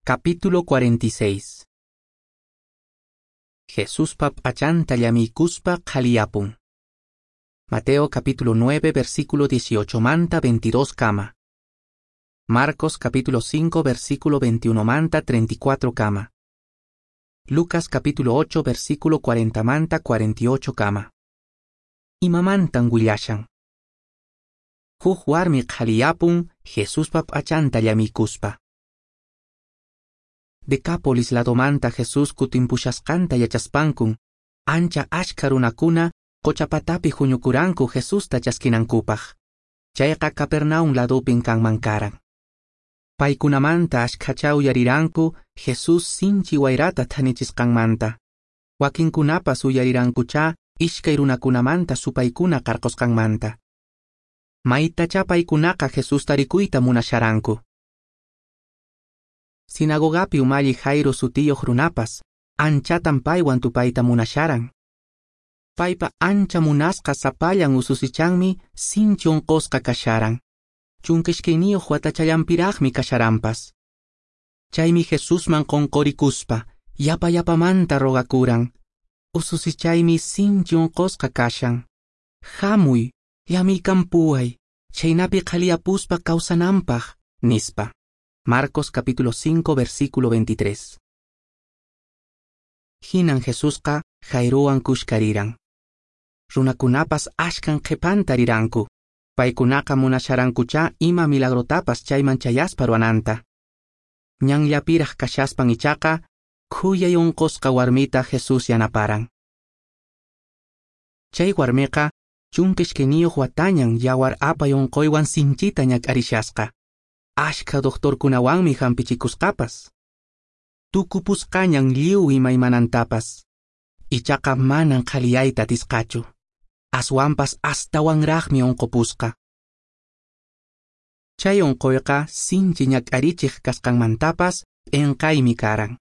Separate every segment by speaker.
Speaker 1: Capítulo 46. Jesuspa p'achanta llamiykuspa qhaliyapun. Mateo capítulo 9 versículo 18 manta 22 kama. Marcos capítulo 5 versículo 21 manta 34 kama. Lucas capítulo 8 versículo 40 manta 48 kama. Imamantan willashan. Huk warmi qhaliyapun Jesuspa p'achanta llamiykuspa. Decápolis ladomanta Jesús kutimpushasqanta yachaspankun, ancha achka runakuna qochapatapi huñukuranku Jesusta chaskinankupaq. Chayqa Capernaum ladupin kanman karan. Paykunamanta ashkhacha uyariranku Jesús sinchi wayrata thanichisqanmanta. Wakinkunapas uyarirankucha ishkay runakunamanta supaykuna qarqusqanmanta. Maytacha paykunaqa Jesusta rikuyta munasharanku. Sinagogapi umalli Jairo sutiyuq runapas, anchatan paywan tupayta munasharan. Paypa ancha munasqa sapallan ususichanmi sinchi unqusqa kasharan. 12 watachallanpiraqmi kasharanpas. Chaymi Jesusman qunqurikuspa, yapa yapamanta rogakuran. Ususichaymi sinchi unqusqa kashan. Hamuy, llamiykampuway, chaynapi qhaliyapuspa kawsananpaq, nispa. Marcos capítulo 5 versículo 23. Hinan Jesusqa Jairowan kushkariran. Runakunapas ashkan qhipanta riranku. Paykunaqa munasharankucha ima milagrotapas chayman chayaspa ruwananta. Ñanllapiraq kashaspan ichaqa khuyay unqusqa warmita Jesús yanaparan. Chay warmiqa 12 watañan yawar apay unquywan sinchita ñak'arishasqa. Ashka doctorkunawanmi hampichikusqapas. Tukupusqañan lliw imaymanantapas. Ichaqa manan qhaliyayta atisqachu. Aswanpas astawanraqmi unqupusqa. Chay unquyqa sinchi ñak'arichiq kasqanmantapas p'inqaymi karan.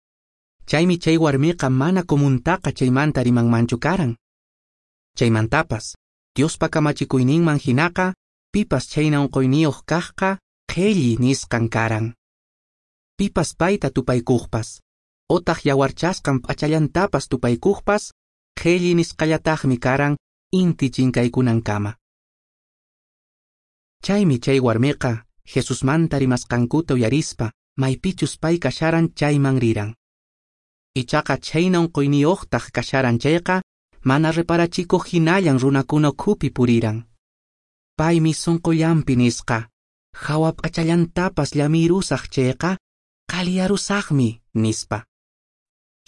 Speaker 1: Chaymi chay warmiqa mana comuntaqa chaymanta rimanmanchu karan. Chaymantapas, Diospa kamachikuyninman hinaqa, pipas chayna unquyniyuq kaqqa qhelli nisqan karan. Pipas payta tupaykuqpas, otaq yawarchasqan p'achallantapas tupaykuqpas, qhelli nisqallataqmi karan inti chinkaykunankama. Chaymi chay warmiqa Jesusmanta rimasqankuta uyarispa maypichus pay kasharan chayman riran. Ichaqa chayna unquyniyuqtaq kasharan chayqa mana reparachikuq hinallan runakuna ukhupi puriran. Paymi sunqullanpi nisqa, hawa p'achallantapas llamirusaq chayqa qhaliyarusaqmi, nispa.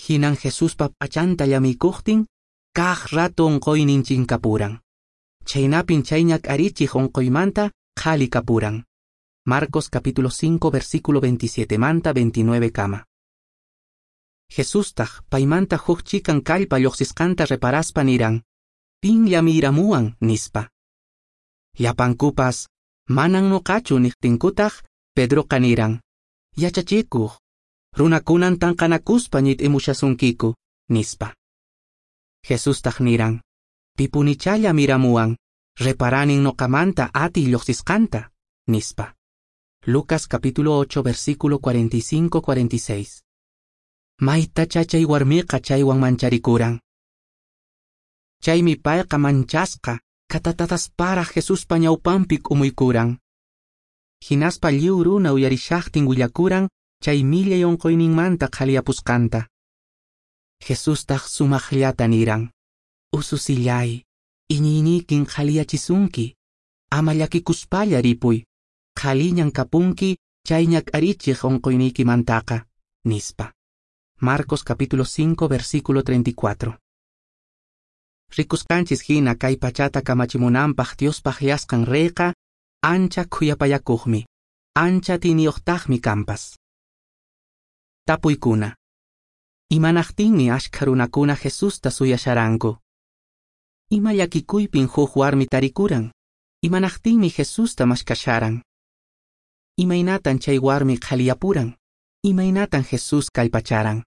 Speaker 1: Hinan Jesuspa p'achanta llamiykuqtin kaq rato unquynin chinkapuran. Chaynapin chay ñak'arichiq unquymanta qhali kapuran. Marcos capítulo 5 versículo 27 manta 29 kama. Jesustaq paymanta huk chikan kallpa lluqsisqanta reparaspa niran, pin llamiramuwan, nispa. Llapankupas, manan nuqachu niqtinkutaq, Pedroqa niran, yachachikuq, runakunan tanqanakuspa ñit'imushasunkiku, nispa. Jesustaq niran, pipunichá llamiramuwan, reparanin nuqamanta atiy lluqsisqanta, nispa. Lucas capítulo 8 versículo 45-46. Maytacha chay warmiqa chaywan mancharikuran. Chaymi payqa manchasqa katatatasparaq Jesuspa ñawpanpi k'umuykuran. Hinaspa lliw runa uyarishaqtin willakuran chay millay unquyninmanta qhaliyapusqanta. Jesustaq sumaqllata niran, ususillay, iñiynikin qhaliyachisunki, ama llakikuspalla ripuy, qhaliñan kapunki chay ñak'arichiq unquyniykimantaqa, nispa. Marcos capítulo 5 versículo 34. Rikusqanchis hina kay pachata kamachimunanpaq Diospaq yasqan reyqa ancha khuyapayakuqmi, ancha tiniyuqtaqmi kanpas. Tapuykuna. Imanaqtinmi ashkha runakuna Jesusta suyasharanku? Ima llakikuypin huk warmi tarikuran? Imanaqtinmi Jesusta mashkasharan? Imaynatan chay warmi qhaliyapuran? Imaynatan Jesús kallpacharan?